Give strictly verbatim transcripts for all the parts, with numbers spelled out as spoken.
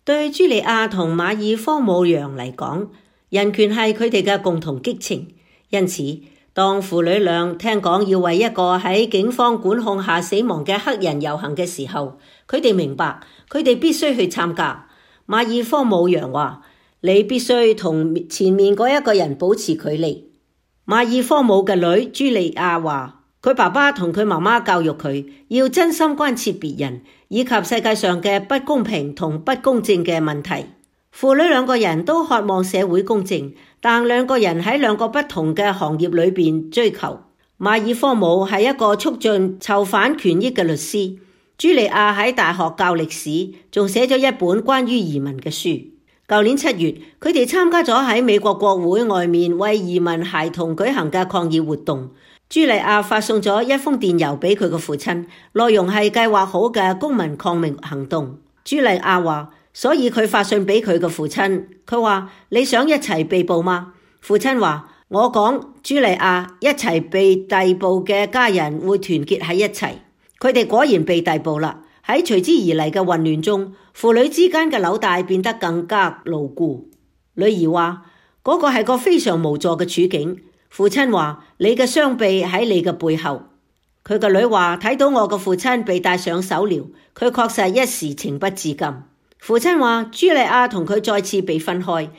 對茱莉亞同馬爾科姆揚嚟講，人權係佢哋嘅共同激情。因此，當父女倆聽講要為一個喺警方管控下死亡嘅黑人遊行嘅時候，佢哋明白佢哋必須去參加。馬爾科姆揚話：你必須同前面嗰一個人保持距離。馬爾科姆嘅女茱莉亞話：佢爸爸同佢媽媽教育佢要真心關切別人，以及世界上嘅不公平同不公正嘅問題。父女兩個人都渴望社會公正，但兩個人喺兩個不同嘅行業裏邊追求。馬爾科姆係一個促進囚犯權益嘅律師，茱莉亞喺大學教歷史，仲寫咗一本關於移民嘅書。舊年七月，佢哋參加咗喺美國國會外面為移民孩童舉行嘅抗議活動。茱莉亞發送咗一封電郵俾佢嘅父親，內容係計劃好嘅公民抗命行動。茱莉亞話：所以佢發信俾佢嘅父親，佢話：你想一齊被捕嗎？父親話：我講茱莉亞一齊被逮捕嘅家人會團結喺一齊。佢哋果然被逮捕啦。喺隨之而嚟嘅混亂中，父女之間嘅紐帶變得更加牢固。女兒話：嗰個係個非常無助嘅處境。父親話：你嘅雙臂喺你嘅背後。佢個女話：睇到我嘅父親被戴上手鐐，佢確實一時情不自禁。父親話：茱莉亞同佢再次被分開，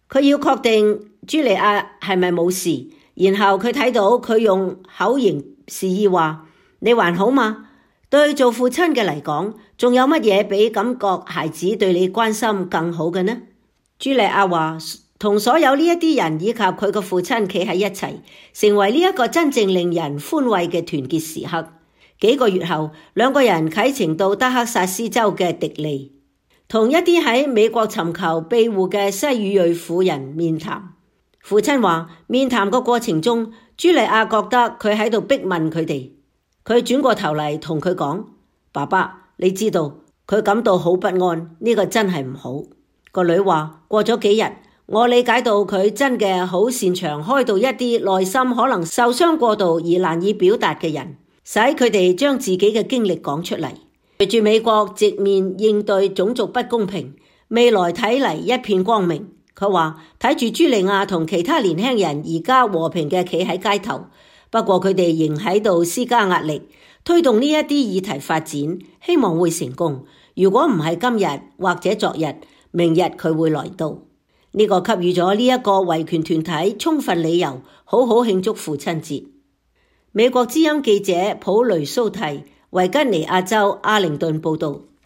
佢要確定茱莉亞係咪冇事，然後佢睇到佢用口型示意話：你還好嗎？對做父親嘅嚟講，仲有乜嘢比感覺孩子對你關心更好嘅呢？茱莉亞話：同所有呢一啲人以及佢嘅父親企喺一齊，成為呢一個真正令人歡慰嘅團結時刻。幾個月後，兩個人啟程到德克薩斯州嘅迪利，同一啲喺美國尋求庇護嘅西語裔婦人面談。父親話：面談個過程中，茱莉亞覺得佢喺度逼問佢哋。佢轉過頭嚟同佢講：爸爸，你知道佢感到好不安，呢個真係唔好。個女話：過咗幾日，我理解到佢真嘅好擅長開導一啲內心可能受傷過度而難以表達嘅人，使佢哋將自己嘅經歷講出嚟。隨住美國直面應對種族不公平，未來睇嚟一片光明。佢話睇住茱莉亞同其他年輕人而家和平嘅企喺街頭。不過佢哋仍喺度施加壓力，推動呢一啲議題發展，希望會成功。如果唔係今日或者昨日，明日佢會來到。呢個給予咗呢一個維權團體充分理由，好好慶祝父親節。美國之音記者普雷蘇蒂，維吉尼亞州阿靈頓報道。